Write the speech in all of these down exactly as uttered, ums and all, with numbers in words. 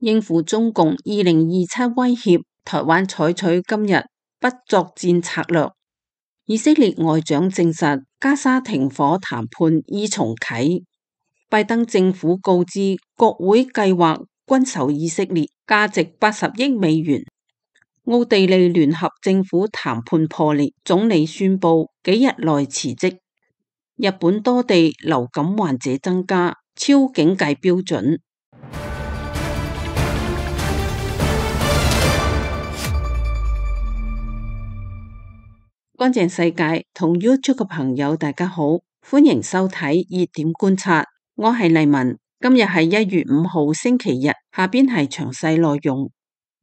應付中共二零二七威脅，台灣採取今日不作戰策略。以色列外長證實，加沙停火談判已重啟。拜登政府告知國會計劃軍售以色列，價值八十億美元。奧地利聯合政府談判破裂，總理宣布幾日內辭職。日本多地流感患者增加，超警戒標準。乾淨世界同 YouTube 嘅朋友大家好，歡迎收睇熱點觀察，我係麗文。今日係一月五號星期日，下邊係詳細內容。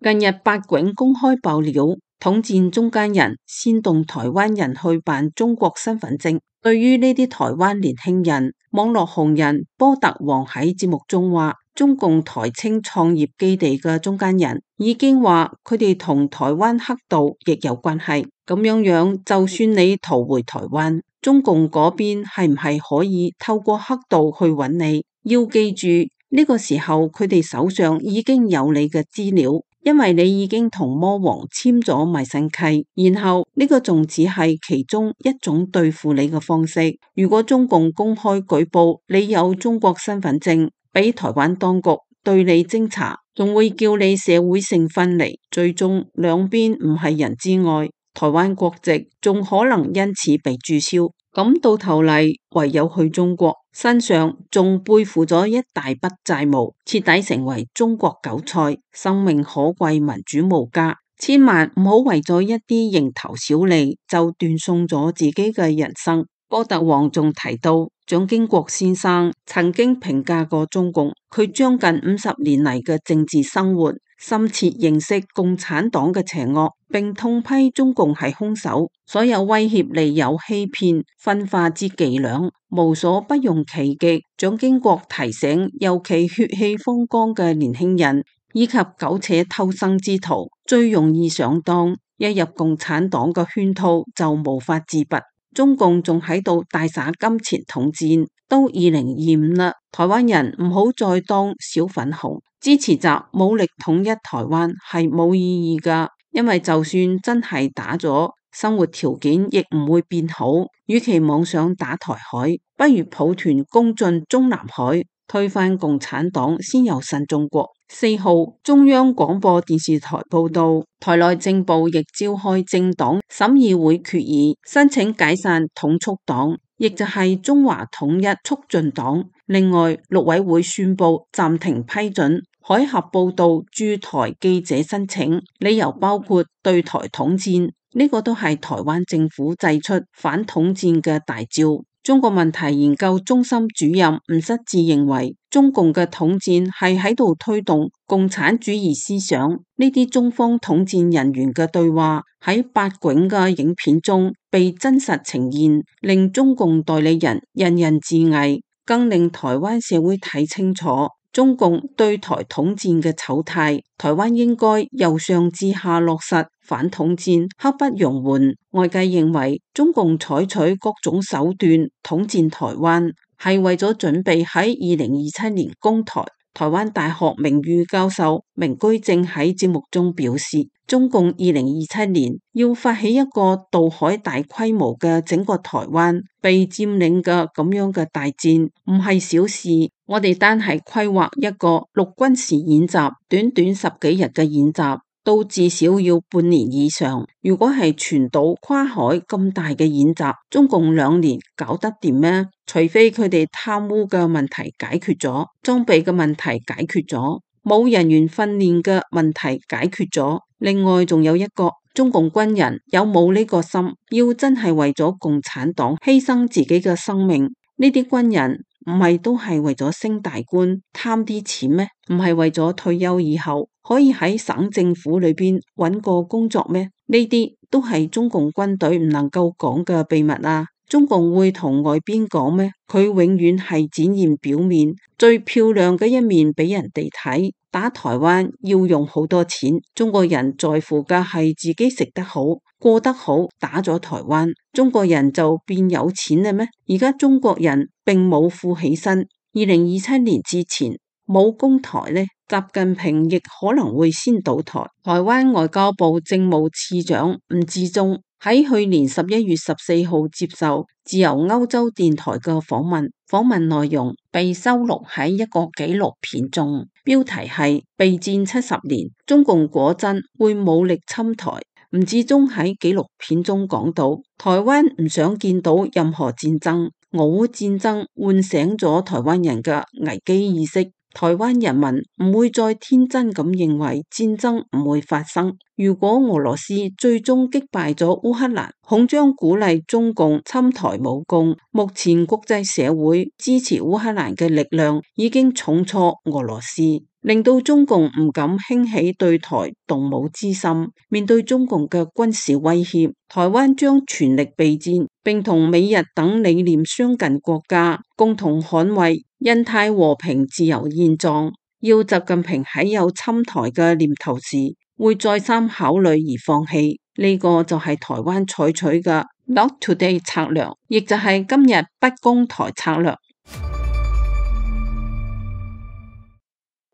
近日八囧公開爆料，統戰中間人煽動台灣人去辦中國身份證。對於呢啲台灣年輕人，網絡紅人波特王喺節目中話，中共台青創業基地嘅中間人已經話佢哋同台灣黑道亦有關係。咁樣樣，就算你逃回台灣，中共嗰邊係唔係可以透過黑道去揾你？要記住呢個時候，佢哋手上已經有你嘅資料，因為你已經同魔王簽咗賣身契，然後呢個仲只係其中一種對付你嘅方式。如果中共公開舉報你有中國身份證，俾台灣當局對你偵查，仲會叫你社會性分離，最終兩邊唔係人之外，台灣國籍仲可能因此被註銷。咁到頭嚟，唯有去中國，身上仲背負咗一大筆債務，徹底成為中國韭菜，生命可貴，民主無價。千萬唔好為咗一啲蠅頭小利就斷送咗自己嘅人生。波特王仲提到，蔣經國先生曾經評價過中共，佢將近五十年嚟嘅政治生活，深切認識共產黨嘅邪惡，並痛批中共係兇手，所有威脅、利誘、欺騙、分化之伎倆，無所不用其極。蔣經國提醒，尤其血氣方剛嘅年輕人以及苟且偷生之徒，最容易上當，一入共產黨嘅圈套就無法自拔。中共仲喺度大灑金錢統戰，都二零二五啦，台灣人唔好再當小粉紅，支持習武力統一台灣係冇意義噶，因為就算真係打咗，生活條件亦唔會變好。與其妄想打台海，不如抱團攻進中南海，推翻共產黨，先有新中國。四號，中央廣播電視台報道，台內政部亦召開政黨審議會決議，申請解散統促黨，亦就係中華統一促進黨。另外，陸委會宣布暫停批准海峽報道駐台記者申請，理由包括對台統戰，呢個都係台灣政府祭出反統戰嘅大招。中國問題研究中心主任吳失志認為，中共嘅統戰係喺度推動共產主義思想。呢啲中方統戰人員嘅對話喺八囧嘅影片中被真實呈現，令中共代理人人人自危，更令台灣社會睇清楚中共對台統戰嘅醜態。台灣應該由上至下落實反統戰，刻不容緩。外界認為中共採取各種手段統戰台灣，係為咗準備喺二零二七年攻台。台灣大學名譽教授明居正喺節目中表示，中共二零二七年要發起一個渡海大規模嘅整個台灣被佔領嘅咁樣嘅大戰，唔係小事。我哋單係規劃一個陸軍時演習，短短十幾日嘅演習，都至少要半年以上。如果係全島跨海咁大嘅演習，中共兩年搞得掂咩？除非佢哋貪污嘅問題解決咗，裝備嘅問題解決咗，冇人員訓練嘅問題解決咗。另外仲有一個，中共軍人有冇呢個心，要真係為咗共產黨犧牲自己嘅生命？呢啲軍人唔係都係為咗升大官貪啲錢咩？唔係為咗退休以後可以喺省政府裏邊揾個工作咩？呢啲都係中共軍隊唔能夠講嘅秘密啊！中共會同外邊講咩？佢永遠係展現表面最漂亮嘅一面俾人哋睇。打台灣要用好多錢，中國人在乎嘅係自己食得好、過得好。打咗台灣，中國人就變有錢啦咩？而家中國人並冇富起身。二零二七年之前，冇攻台呢，習近平亦可能會先倒台。台灣外交部政務次長吳志忠喺去年十一月十四號接受自由歐洲電台嘅訪問，訪問內容被收錄喺一個紀錄片中，標題係備戰七十年，中共果真會武力侵台。吳志忠喺紀錄片中講到，台灣唔想見到任何戰爭，俄烏戰爭喚醒咗台灣人嘅危機意識。台灣人民唔會再天真咁認為戰爭唔會發生。如果俄羅斯最終擊敗咗烏克蘭，恐將鼓勵中共侵台武功。目前國際社會支持烏克蘭嘅力量已經重挫俄羅斯，令到中共唔敢興起對台動武之心。面對中共嘅軍事威脅，台灣將全力備戰，並同美日等理念相近國家共同捍衛印太和平自由現狀。要習近平喺有侵台嘅念頭時，會再三考慮而放棄，呢、這個就係台灣採取嘅 Not Today 策略，亦就係今日不攻台策略。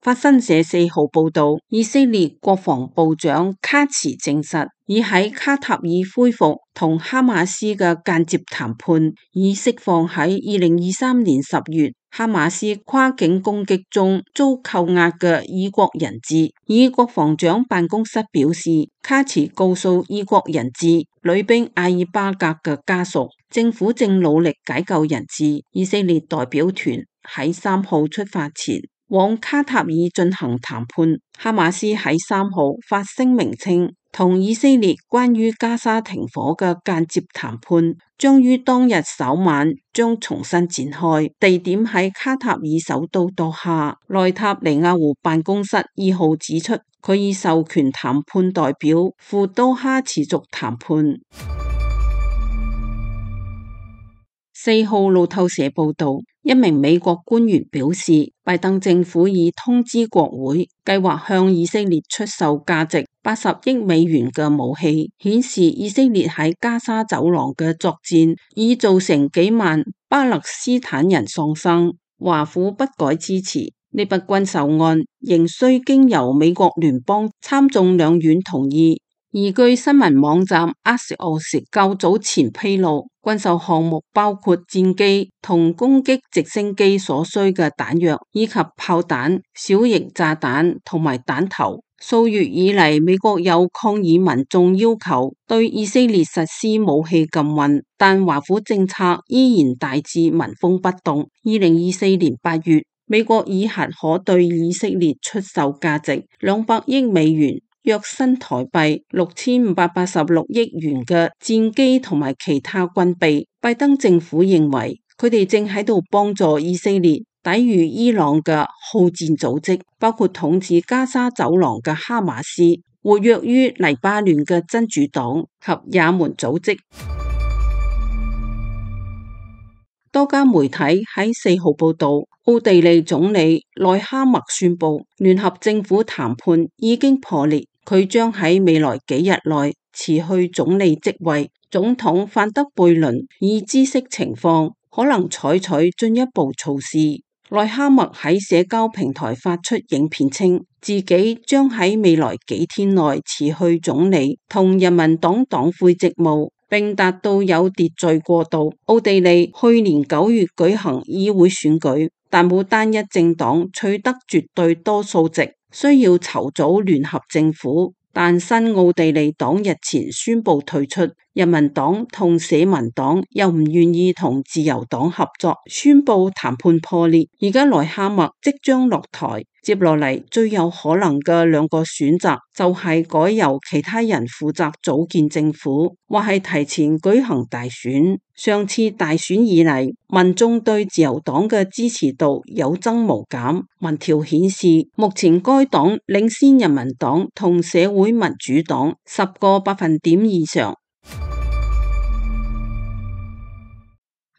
法新社四號報道，以色列國防部長卡茨證實，已喺卡塔爾恢復同哈馬斯嘅間接談判，以釋放喺二零二三年十月哈馬斯跨境攻擊中遭扣押嘅以國人質。以國防長辦公室表示，卡茨告訴以國人質女兵阿爾巴格嘅家屬，政府正努力解救人質。以色列代表團喺三號出發前往卡塔爾進行談判。哈馬斯喺三號發聲明稱，同以色列關於加沙停火嘅間接談判將於當日稍晚將重新展開，地點喺卡塔爾首都多哈。內塔尼亞胡辦公室二號指出，佢已授權談判代表赴多哈持續談判。四號路透社報道，一名美國官員表示，拜登政府已通知國會，計劃向以色列出售價值八十億美元嘅武器，顯示以色列喺加沙走廊嘅作戰已造成幾萬巴勒斯坦人喪生。華府不改支持呢筆軍售案，仍需經由美國聯邦參眾兩院同意。而據新聞網站 Axios 較早前披露，軍售項目包括戰機同攻擊直升機所需嘅彈藥，以及炮彈、小型炸彈同埋彈頭。數月以嚟，美國有抗議民眾要求對以色列實施武器禁運，但華府政策依然大致紋風不動。二零二四年八月，美國已核可對以色列出售價值兩百億美元，約新台幣六千五百八十六億元嘅戰機同埋其他軍備。拜登政府認為佢哋正喺度幫助以色列抵禦伊朗嘅好戰組織，包括統治加沙走廊嘅哈馬斯、活躍於黎巴嫩嘅真主黨及也門組織。多家媒體喺四號報道，奧地利總理內哈默宣布，聯合政府談判已經破裂，佢將喺未來幾日內辭去總理職位。總統范德貝倫已知悉情況，可能採取進一步措施。內哈默喺社交平台發出影片稱，自己將喺未來幾天內辭去總理同人民黨黨魁職務，並達到有秩序過渡。奧地利去年九月舉行議會選舉，但冇單一政黨取得絕對多數席，需要籌組聯合政府。但新奧地利黨日前宣布退出，人民黨同社民黨又唔願意同自由黨合作，宣布談判破裂。而家內哈默即將落台，接落嚟最有可能嘅兩個選擇就係改由其他人負責組建政府，或係提前舉行大選。上次大選以嚟，民眾對自由黨嘅支持度有增無減。民調顯示，目前該黨領先人民黨同社會民主黨十個百分點以上。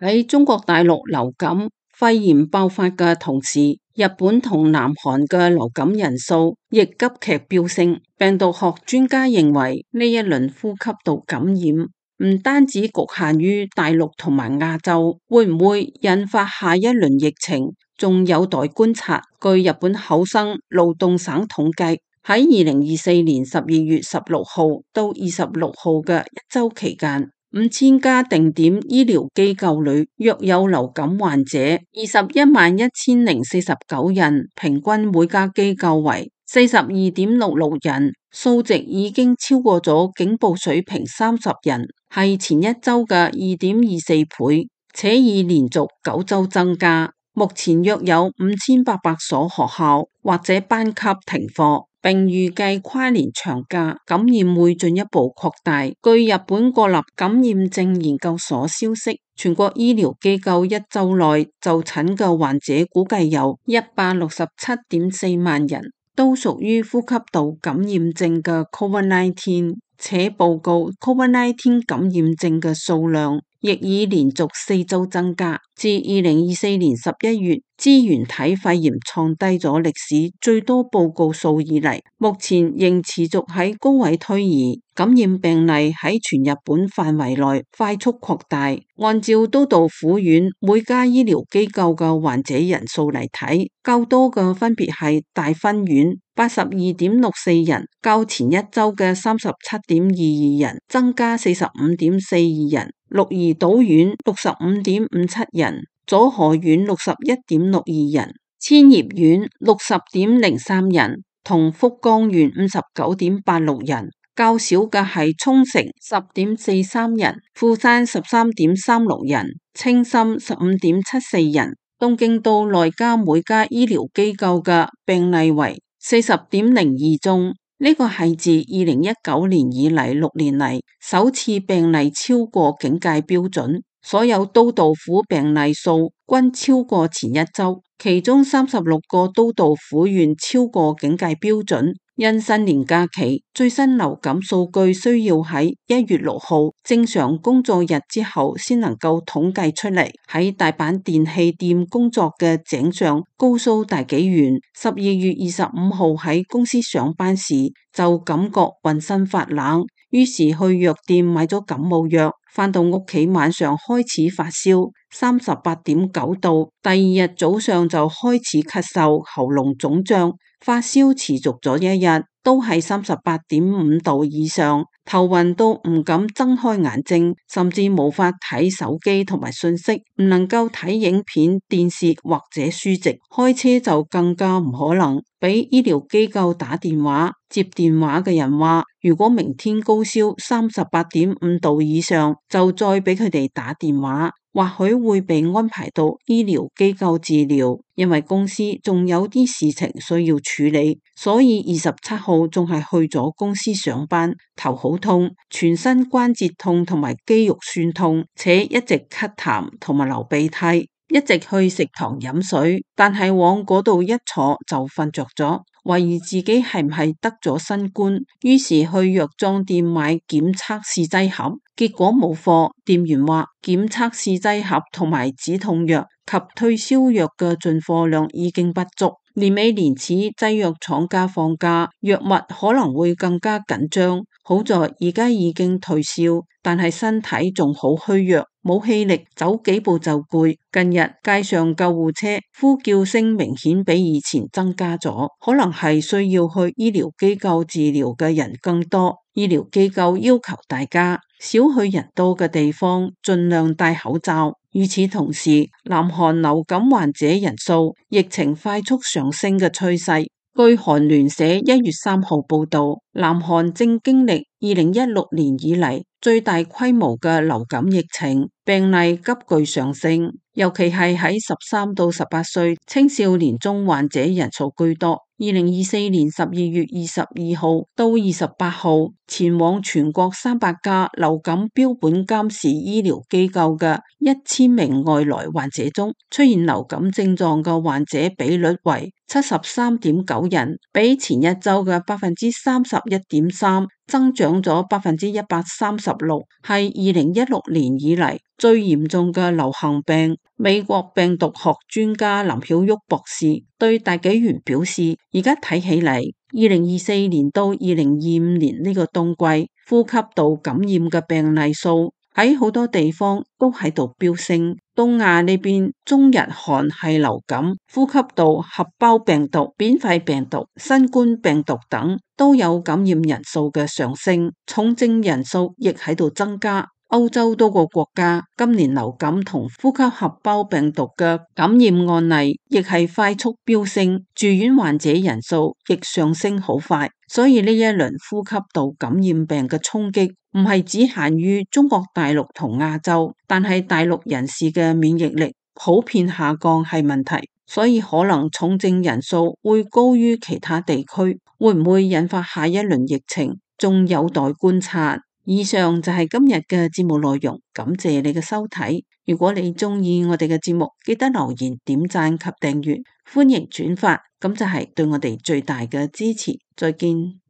喺中國大陸流感肺炎爆發嘅同時，日本同南韓嘅流感人數亦急劇飆升。病毒學專家認為，呢一輪呼吸道感染唔單止局限於大陸同埋亞洲，會唔會引發下一輪疫情，仲有待觀察。據日本厚生勞動省統計，喺二零二四年十二月十六號到二十六號嘅一周期間，五千家定點醫療機構裏約有流感患者二十一萬一千零四十九人，平均每家機構為四十二點六六人，數值已經超過咗警報水平三十人，係前一周嘅二點二四倍，且已連續九周增加。目前約有五千八百所學校或者班級停課，並預計跨年長假感染會進一步擴大。據日本國立感染症研究所消息，全國醫療機構一周內就診嘅患者估計有一百六十七點四萬人，都屬於呼吸道感染症嘅 COVID 十九，且報告 COVID 十九 感染症嘅數量亦已連續四周增加，自二零二四年十一月支原體肺炎創低咗歷史最多報告數以嚟，目前仍持續喺高位推移，感染病例喺全日本範圍內快速擴大。按照都道府縣每家醫療機構嘅患者人數嚟睇，較多嘅分別係大分縣八十二點六四人，較前一周嘅三十七點二二人增加四十五點四二人。鹿兒島縣六十五點五七人，佐賀縣六十一點六二人，千葉縣六十點零三人，同福岡縣五十九點八六人。較少嘅係沖繩十點四三人，富山十三點三六人，青森十五點七四人。東京都內家每家醫療機構嘅病例為四十點零二宗。呢個係自二零一九年以嚟六年嚟首次病例超過警戒標準，所有都道府病例數均超過前一周，其中三十六個都道府縣超過警戒標準。因新年假期，最新流感數據需要喺一月六號正常工作日之後先能夠統計出嚟。喺大阪電器店工作嘅井上高須大紀元，十二月二十五號喺公司上班時就感覺渾身發冷，於是去藥店買咗感冒藥，返到屋企晚上開始發燒，三十八點九度，第二日早上就開始咳嗽，喉嚨腫脹。發燒持續咗一日，都係三十八點五度以上，頭暈到唔敢睜開眼睛，甚至無法睇手機同埋信息，唔能夠睇影片、電視或者書籍，開車就更加唔可能。俾醫療機構打電話，接電話嘅人話，如果明天高燒三十八點五度以上，就再俾佢哋打電話。或許會被安排到醫療機構治療，因為公司仲有啲事情需要處理，所以二十七號仲係去咗公司上班，頭好痛，全身關節痛同埋肌肉酸痛，且一直咳痰同埋流鼻涕，一直去食堂飲水，但係往嗰度一坐就瞓着咗。懷疑自己係唔係得咗新冠，於是去藥妝店買檢測試劑盒，結果冇貨。店員話檢測試劑盒同埋止痛藥及退燒藥嘅進貨量已經不足。年尾年始製藥廠家放假，藥物可能會更加緊張。好在而家已經退燒，但係身體仲好虛弱，冇氣力，走幾步就攰。近日街上救護車呼叫聲明顯比以前增加咗，可能係需要去醫療機構治療嘅人更多。醫療機構要求大家少去人多嘅地方，盡量戴口罩。與此同時，南韓流感患者人數疫情快速上升嘅趨勢。據韓聯社一月三號報道，南韓正經歷二零一六年以嚟最大規模嘅流感疫情，病例急劇上升，尤其係喺十三到十八歲青少年中患者人數居多。二零二四年十二月二十二號到二十八號，前往全國三百家流感標本監視醫療機構嘅一千名外來患者中，出現流感症狀嘅患者比率為七十三點九人，比前一周嘅百分之三十一點三增長咗百分之一百三十六，係二零一六年以嚟最嚴重嘅流行病。美國病毒學專家林曉旭博士對大紀元表示，而家睇起嚟，二零二四年到二零二五年呢個冬季，呼吸道感染嘅病例數喺好多地方都喺度飆升。東亞呢邊，中日韓系流感、呼吸道合胞病毒、扁肺病毒、新冠病毒等都有感染人數嘅上升，重症人數亦喺度增加。歐洲多個國家今年流感同呼吸合胞病毒嘅感染案例亦係快速飆升，住院患者人數亦上升好快。所以呢一輪呼吸道感染病嘅衝擊唔係只限於中國大陸同亞洲，但係大陸人士嘅免疫力普遍下降係問題，所以可能重症人數會高於其他地區，會唔會引發下一輪疫情，仲有待觀察。以上就係今日嘅節目內容，感謝你嘅收睇。如果你鍾意我哋嘅節目，記得留言、點讚及訂閱，歡迎轉發，咁就係對我哋最大嘅支持。再見。